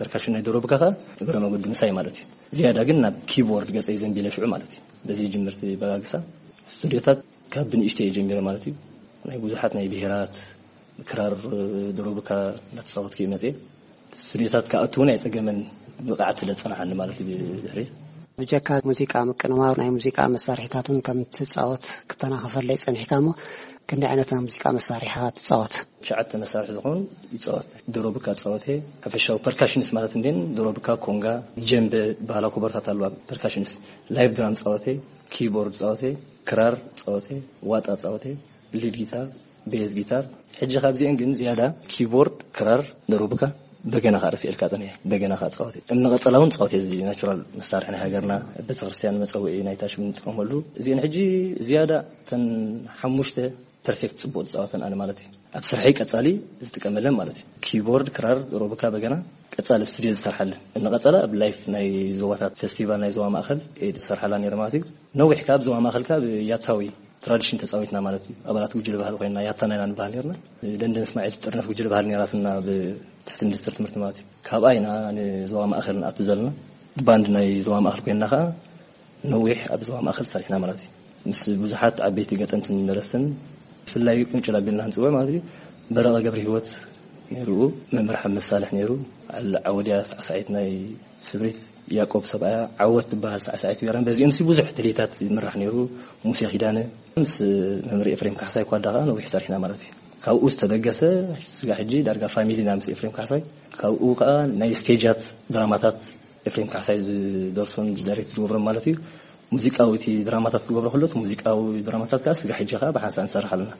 ፐርካሽን፣ ናይ ዶሮብካ ከኣ እግረ መገዱ ምሳይ ማለት እዩ። ዝያዳ ግን ናብ ኪቦርድ ገጸይ ዘንቢለ ሽዑ ማለት እዩ። በዚ ጅምርቲ በጋግሳ ስቱዲዮታት ካብ ብንእሽተይ እየ ጀሚረ ማለት እዩ። ናይ ብዙሓት ናይ ብሄራት ክራር፣ ዶሮብካ እንዳተጻወትኩ እየ መጽየ። ስቱዲዮታት ክኣቱ እውን ኣይጸገመን፣ ብቕዓት ስለ ዝጸናሓኒ ማለት እዩ። ብድሕሪት ብጀካ ሙዚቃ ምቅንባር ናይ ሙዚቃ መሳርሒታት እውን ከም ትጻወት ክተናኸፈለይ ጸኒሕካ እሞ፣ ክንደይ ዓይነት ናይ ሙዚቃ መሳርሒታት ትጻወት? ትሽዓተ መሳርሒ ዝኾኑ ይጻወት። ዶሮብካ ጻወተ፣ ሓፈሻዊ ፐርካሽንስ ማለት እንዴን ዶሮብካ፣ ኮንጋ፣ ጀምበ፣ ባህላዊ ኮበርታት ኣለዋ። ፐርካሽንስ፣ ላይቭ ድራም ጻወተ፣ ኪቦርድ ጻወተ፣ ክራር ጻወተ፣ ዋጣ ጻወተ፣ ሊድ ጊታር፣ ቤዝ ጊታር። ሕጂ ካብዚአን ግን ዝያዳ ኪቦርድ፣ ክራር፣ ደሩብካ፣ በገና ከኣ ረሲኤልካ ጸኒሐ። በገና ከኣ ጻወት እየ። እምኒ ቀጸላ እውን ጻወት እየ። እዚ ናቹራል መሳርሒ ናይ ሃገርና፣ ቤተክርስትያን መጸውዒ ናይታ ሽም እንጥቀመሉ። እዚአን ሕጂ ዝያዳ እተን ሓሙሽተ ፐርፌክት ጽቡቕ ዝጻወተን ኣነ ማለት እዩ። ኣብ ስርሐይ ቀጻሊ ዝጥቀመለን ማለት እዩ። ኪቦርድ፣ ክራር፣ ደሩብካ፣ በገና ቀጻሊ ኣብ ስቱዲዮ ዝሰርሓለን። እምኒ ቀጸላ ኣብ ላይፍ ናይ ዞባታት ፌስቲቫል ናይ ዞባ ማእከል እየ ዝሰርሓላ ነይረ ማለት እዩ። ነዊሕ ካብ ዞባ ማእከል ካብ ያታዊ ትራዲሽን ተጻዊትና ማለት እዩ። ኣባላት ጉጅለ ባህሊ ኮይና ያታና ኢና ንበሃል ነርና። ደንደን እስማዒል ጥርነፍ ጉጅለ ባህሊ ነራትና ብትሕቲ ሚኒስትር ትምህርቲ ማለት እዩ። ካብኣ ኢና ንዞባ ማእከል ንኣቱ ዘለና። ባንድ ናይ ዞባ ማእከል ኮይና ከኣ ነዊሕ ኣብ ዞባ ማእከል ሰሪሕና ማለት እዩ። ምስ ብዙሓት ዓበይቲ ገጠምትን ደረስትን ብፍላይ ቁንጭል ኣቢልና ንጽውዕ ማለት እዩ። በረቐ ገብረ ህይወት ነይሩ፣ መምህር ሓመድ ሳልሕ ነይሩ፣ ዓል ዓወድያ ሳዕሳዒት ናይ ስብሪት፣ ያቆብ ሰብኣያ፣ ዓወት ትበሃል ሳዕሳዒት ቤራን። በዚኦም ሲ ብዙሕ ድሌታት ይምራሕ ነይሩ። ሙሴ ኪዳነ ምስ መምህር ኤፍሬም ካሕሳይ ኳዳ ከኣ ነዊሕ ሰሪሕና ማለት እዩ። ካብኡ ዝተበገሰ ስጋ ሕጂ ዳርጋ ፋሚሊና ምስ ኤፍሬም ካሕሳይ። ካብኡ ከኣ ናይ ስቴጃት ድራማታት ኤፍሬም ካሕሳይ ዝደርሶን ዳይሬክት ዝገብሮን ማለት እዩ። ሙዚቃዊ እቲ ድራማታት ክገብሮ ከሎ እቲ ሙዚቃዊ ድራማታት ከኣ ስጋ ሕጂ ከኣ ብሓንሳእ ንሰርሕ ኣለና።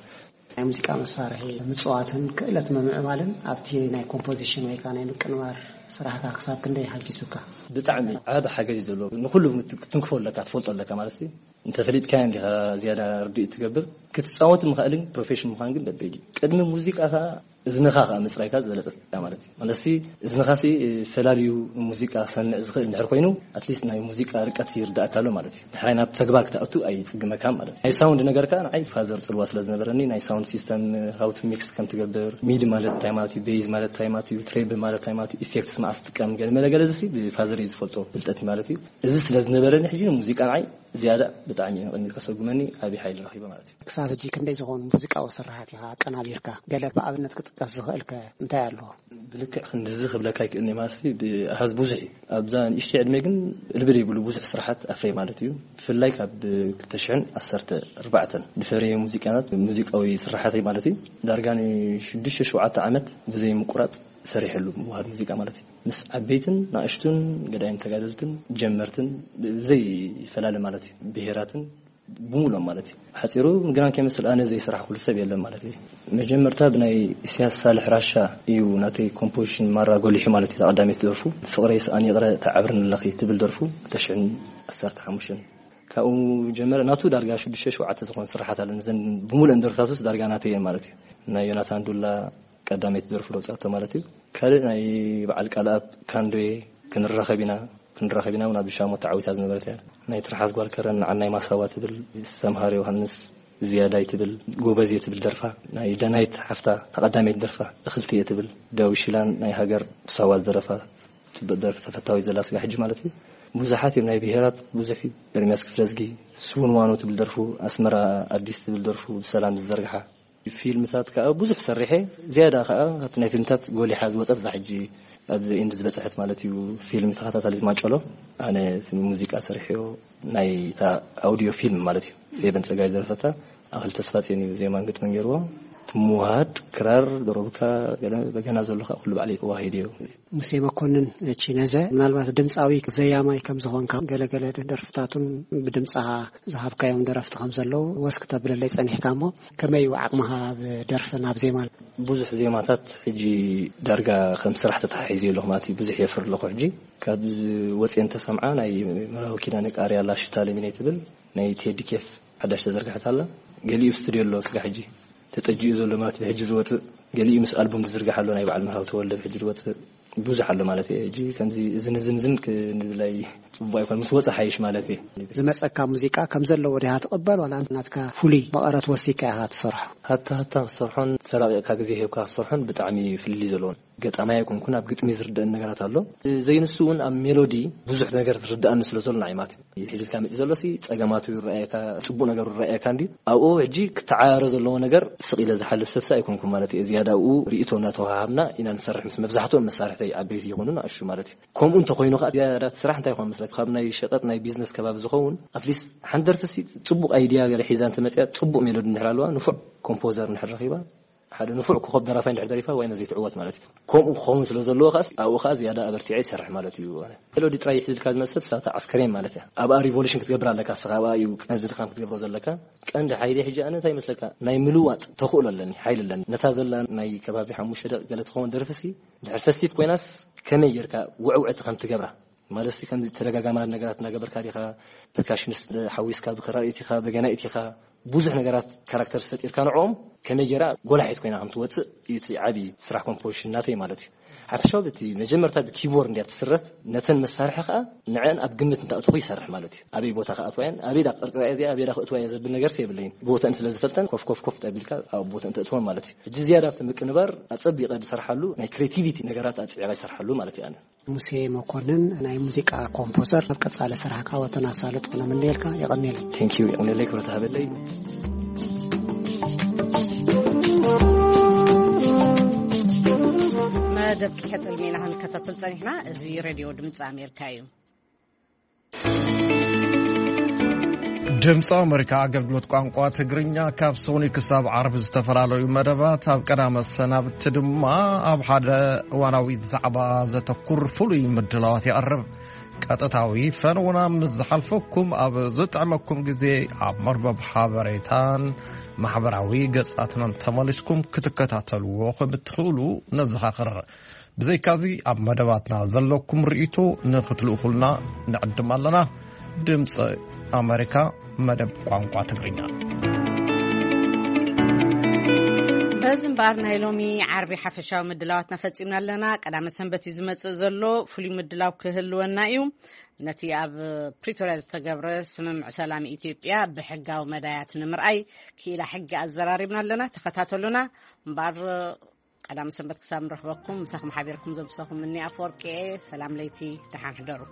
ናይ ሙዚቃ መሳርሒ ምጽዋትን ክእለት ምምዕባልን ኣብቲ ናይ ኮምፖዚሽን ወይ ከኣ ናይ ምቅንባር ስራሕካ ክሳብ ክንደይ ሓጊዙካ? ብጣዕሚ ዓቢ ሓገዝ እዩ ዘለዎ። ንኹሉ ምት-፣ ክትንክፎ ኣለካ፣ ትፈልጦ ኣለካ ማለት እዩ። እንተፈሊጥካዮ እንዲኻ ዝያዳ ርድኢት ትገብር። ክትጻወት ምኽኣልን ፕሮፌሽን ምዃን ግን በበይድ እዩ። ቅድሚ ሙዚቃ ከኣ እዝንኻ ከኣ ምጽራይካ ዝበለጸ ማለት እዩ። ማለትሲ እዝንኻሲ ፈላልዩ ሙዚቃ ክሰምዕ ዝኽእል እንድሕር ኮይኑ፣ ኣትሊስት ናይ ሙዚቃ ርቀት ይርዳእካ ኣሎ ማለት እዩ። ድሕራይ ናብ ተግባር ክትኣቱ ኣይጽግመካን ማለት እዩ። ናይ ሳውንድ ነገር ከኣ ንዓይ ፋዘር ጽልዋ ስለ ዝነበረኒ፣ ናይ ሳውንድ ሲስተም፣ ሃው ቱ ሚክስ ከም ትገብር፣ ሚዲ ማለት እንታይ ማለት እዩ፣ ቤዝ ማለት እንታይ ማለት እዩ፣ ትሬብል ማለት እንታይ ማለት እዩ፣ ኢፌክትስ መዓስ ትጥቀም፣ ገለ መለ ገለ፣ እዚሲ ብፋዘር እዩ ዝፈልጦ ፍልጠት እዩ ማለት እዩ። እዚ ስለ ዝነበረኒ ሕጂ ንሙዚቃ ንዓይ ዝያዳ ብጣዕሚ እዩ ንቕድሚት ከሰጉመኒ ዓብዪ ሓይሊ ረኺበ ማለት እዩ። ክሳብ ሕጂ ክንደይ ዝኾኑ ሙዚቃዊ ስርሓት ኢኻ ኣቀናቢርካ? ገለ ብኣብነት ክጥቀስ ዝኽእልከ እንታይ ኣለዎ? ብልክዕ ክንድዚ ክብለካ ኣይክእልኒ ማሲ ብኣሃዝ ብዙሕ እዩ። ኣብዛ ንእሽተይ ዕድመ ግን እልቢ ዘይብሉ ብዙሕ ስርሓት ኣፍረየ ማለት እዩ። ብፍላይ ካብ ክልተ ሽሕን ዓሰርተ ኣርባዕተን ዝፈረየ ሙዚቃታት፣ ሙዚቃዊ ስርሓተይ ማለት እዩ፣ ዳርጋ ንሽዱሽተ ሸውዓተ ዓመት ብዘይ ምቁራጽ ሰሪሐሉ ምውሃድ ሙዚቃ ማለት እዩ። ምስ ዓበይትን ንኣሽቱን ገዳይም ተጋደልትን ጀመርትን ብዘይ ፈላለ ማለት እዩ፣ ብሄራትን ብምሉኦም ማለት እዩ። ሓጺሩ ግና ከይመስል ኣነ ዘይሰራሕኩሉ ሰብ የለን ማለት እዩ። መጀመርታ ብናይ ኢሳያስ ሳልሕ ራሻ እዩ ናተይ ኮምፖዚሽን ማራ ጎሊሑ ማለት እዩ። እታ ቀዳመይቲ ደርፉ ፍቕረይ ስኣን ይቕረ ተዓብርን ኣለኺ ትብል ደርፉ ክልተ ሽሕን ዓሰርተ ሓሙሽተን ካብኡ ጀመረ። ናቱ ዳርጋ ሽዱሽተ ሸውዓተ ዝኾን ስራሓት ኣለኒ። ዘን ብምሉእን ደርፍታቱስ ዳርጋ ናተይ እየን ማለት እዩ። ናይ ዮናታን ዱላ ቀዳመይቲ ደርፉ ደውፅኣቶ ማለት እዩ። ካልእ ናይ በዓል ቃልኣብ ካንዶዬ ክንራኸብ ኢና፣ ክንራኸብ ኢና እውን ኣብ ሻሞ ተዓዊታ ዝነበረት እያ። ናይ ትርሓስ ጓል ከረን ንዓናይ ማሳዋ ትብል፣ ሰምሃር ዮሃንስ ዝያዳይ ትብል፣ ጎበዝ እየ ትብል ደርፋ፣ ናይ ደናይት ሓፍታ ተቐዳመይቲ ደርፋ እኽልቲ እየ ትብል፣ ዳዊት ሽላን ናይ ሃገር ብሳዋ ዝደረፋ ጽብቅ ደርፊ ተፈታዊት ዘላ ስጋ ሕጂ ማለት እዩ። ብዙሓት እዮም ናይ ብሄራት ብዙሕ እዩ። ኤርሚያስ ክፍለዝጊ ስውን ዋኖ ትብል ደርፉ፣ ኣስመራ ኣዲስ ትብል ደርፉ ብሰላም ዝዘርግሓ ፊልምታት ከዓ ብዙሕ ሰሪሐ። ዝያዳ ከዓ ካብቲ ናይ ፊልምታት ጎሊሓ ዝወፀት እዛ ሕጂ ኣብዚ ኢንድ ዝበፅሐት ማለት እዩ ፊልም ተኸታታሊት ማጨሎ። ኣነ ሙዚቃ ሰሪሐዮ ናይ እታ ኣውዲዮ ፊልም ማለት እዩ። ፌበን ፀጋይ ዝደረፈታ ኣኽሊ ተስፋ ፅዮን እዩ ዜማን ግጥምን ገይርዎ። እቲ ምውሃድ ክራር፣ ዶሮብካ፣ ገለ በገና ዘሎ ከዓ ኩሉ ባዕለይ ተዋሂድዮ። ሙሴ መኮንን ቺነዘ፣ ምናልባት ድምፃዊ ዘያማይ ከም ዝኾንካ፣ ገለገለ ደርፍታቱን ብድምፃኻ ዝሃብካዮም ደረፍቲ ከም ዘለዉ ወስክ ተብለለይ ጸኒሕካ እሞ፣ ከመይ እዩ ዓቕምኻ ኣብ ደርፍን ኣብ ዜማን? ብዙሕ ዜማታት ሕጂ ዳርጋ ከም ስራሕ ተተሓሒዘ ኣለኹ ማለት እዩ። ብዙሕ የፍር ኣለኹ ሕጂ። ካብ ወፅየ እንተሰምዓ ናይ መራዊ ኪዳነ ቃርያ ላሽታ ለሚነይ ትብል ናይ ቴዲ ኬፍ ሓዳሽ ተዘርግሐት ኣላ። ገሊኡ ኣብ ስቱድዮ ኣሎ ስጋ ሕጂ ተጠጂኡ ዘሎ ማለት ብሕጂ ዝወፅእ፣ ገሊኡ ምስ ኣልቡም ዝዝርጋሕ ኣሎ ናይ በዓል መራዊ ተወልደ ብሕጂ ዝወፅእ። ብዙሕ ኣሎ ማለት እየ። ሕጂ ከምዚ እዝን እዝን እዝን ክንብላይ ጽቡቕ ኣይኮን፣ ምስ ወጸ ሓይሽ ማለት እየ። ዝመጸካ ሙዚቃ ከም ዘለዎ ዲኻ ትቕበል ዋላ ናትካ ፍሉይ መቐረት ወሲካ ኢኻ ትሰርሖ? ሃታ ሃታ ክሰርሖን ተራቒቕካ ግዜ ሂብካ ክሰርሖን ብጣዕሚ ፍልልይ ዘለዎን። ገጣማይ ኣይኮንኩን፣ ኣብ ግጥሚ ዝርደአን ነገራት ኣሎ። ዘይንሱ እውን ኣብ ሜሎዲ ብዙሕ ነገር ዝርድኣኒ ስለ ዘሎ ንዓይ ማለት እዩ። ሕጂ ኢልካ መፂ ዘሎ ሲ ጸገማቱ ይረኣየካ፣ ጽቡቕ ነገሩ ይረኣየካ እንዲ ኣብኡ ሕጂ ክተዓራረ ዘለዎ ነገር ስቕ ኢለ ዝሓልፍ ሰብሲ ኣይኮንኩን ማለት እየ። ዝያዳ ኣብኡ ርእይቶ እናተወሃሃብና ኢና ንሰርሕ ምስ መብዛሕትኦም መሳርሕተይ ዓበይቲ ይኹኑ ንኣሽቱ ማለት እዩ። ከምኡ እንተኮይኑ ከዓ ዝያዳ እቲ ስራሕ እንታይ ይኾን መስለካ? ካብ ናይ ሸቐጥ ናይ ቢዝነስ ከባቢ ዝኸውን ኣትሊስት ሓንቲ ደርፊ ሲ ጽቡቕ ኣይድያ ገለ ሒዛ እንተመፅያ ጽቡቕ ሜሎዲ እንድሕር ኣለዋ ንፉዕ ኮምፖዘር እንድሕር ረኺባ ሓደ ንፉዕ ኮኸብ ደራፋይ እንድሕር ደሪፋ ዋይ ነዚ ትዕወት ማለት እዩ። ከምኡ ክኸውን ስለ ዘለዎ ከኣ ኣብኡ ከኣ ዝያዳ ኣበርቲዐ ይሰርሕ ማለት እዩ። ኣነ ሜሎዲ ጥራይ ይሕዝልካ ዝመጽእ ሰብ ሳታ ዓስከሬን ማለት እያ። ኣብኣ ሪቮሉሽን ክትገብር ኣለካ እስኻ ኣብኣ እዩ ቀንዲ ድኻም ክትገብሮ ዘለካ። ቀንዲ ሓይሊ ሕጂ ኣነ እንታይ ይመስለካ ናይ ምልዋጥ ተኽእሎ ኣለኒ ሓይሊ ኣለኒ። ነታ ዘላ ናይ ከባቢ ሓሙሽተ ደቂ ገለ ትኸውን ደርፍሲ ድሕር ፈስቲቭ ኮይናስ ከመይ ጌርካ ውዕውዕቲ ከም ትገብራ ማለት ሲ ከምዚ ተደጋጋማ ነገራት እናገበርካ ዲኻ ፐርካሽኒስት ሓዊስካ ብክራር ኢቲኻ በገና ኢቲኻ ብዙሕ ነገራት ካራክተር ፈጢርካ ንዕኦም ከመይ ጌራ ጎላሒት ኮይና ከም ትወፅእ እዩ እቲ ዓብዪ ስራሕ ኮምፖዚሽን ናተይ ማለት እዩ። ሓፈሻዊ እቲ መጀመርታ ብኪቦርድ እንድያ ትስረት ነተን መሳርሒ ከዓ ንዐን ኣብ ግምት እንተኣትኹ ይሰርሕ ማለት እዩ። ኣበይ ቦታ ክኣትዋ እየን ኣበይ ዳ ክቅርቅራ እየ እዚኣ ኣበይ ዳ ክእትዋ እየ ዘብል ነገር የብለይን። ቦተን ስለ ዝፈልጠን ኮፍ ኮፍ ኮፍ ጠቢልካ ኣብ ቦተን ተእትወን ማለት እዩ። ሕጂ ዝያዳ ኣብቲ ምቅንባር ኣፀቢቀ ዝሰርሓሉ ናይ ክሬቲቪቲ ነገራት ኣፅቢቀ ይሰርሓሉ ማለት እዩ። ኣነ ሙሴ መኮንን ናይ ሙዚቃ ኮምፖዘር ኣብ ቀጻሊ ስራሕካ ወተን ኣሳልጦ ነምንየልካ። የቐንየለይ። ቴንኪዩ የቕንየለይ ክብረት ሃበለይ። መደብ ክሕጽል ሜና ክንከታተል ጸኒሕና። እዚ ሬድዮ ድምፂ ኣሜሪካ እዩ። ድምፂ ኣሜሪካ ኣገልግሎት ቋንቋ ትግርኛ ካብ ሰኑይ ክሳብ ዓርቢ ዝተፈላለዩ መደባት ኣብ ቀዳመ ሰናብቲ ድማ ኣብ ሓደ እዋናዊ ዛዕባ ዘተኩር ፍሉይ ምድላዋት የቕርብ። ቀጥታዊ ፈነውና ምስ ዝሓልፈኩም ኣብ ዝጥዕመኩም ግዜ ኣብ መርበብ ሓበሬታን ማሕበራዊ ገጻትናን ተመሊስኩም ክትከታተልዎ ከም እትኽእሉ ነዘኻኽር። ብዘይካዚ ኣብ መደባትና ዘለኩም ርእይቶ ንኽትልእኹልና ንዕድም ኣለና። ድምፂ ኣሜሪካ መደብ ቋንቋ ትግርኛ። በዚ እምበኣር ናይ ሎሚ ዓርቢ ሓፈሻዊ ምድላዋትና ፈጺምና ኣለና። ቀዳመ ሰንበት እዩ ዝመጽእ ዘሎ። ፍሉይ ምድላው ክህልወና እዩ። ነቲ ኣብ ፕሪቶርያ ዝተገብረ ስምምዕ ሰላም ኢትዮጵያ ብሕጋዊ መዳያት ንምርኣይ ክኢላ ሕጊ ኣዘራሪብና ኣለና። ተኸታተሉና። እምበኣር ቀዳም ሰንበት ክሳብ ንረኽበኩም ምሳኹም ሓቢርኩም ዘምሰኹም እኒ ኣፈወርቂ እየ። ሰላም ለይቲ፣ ደሓን ሕደሩ።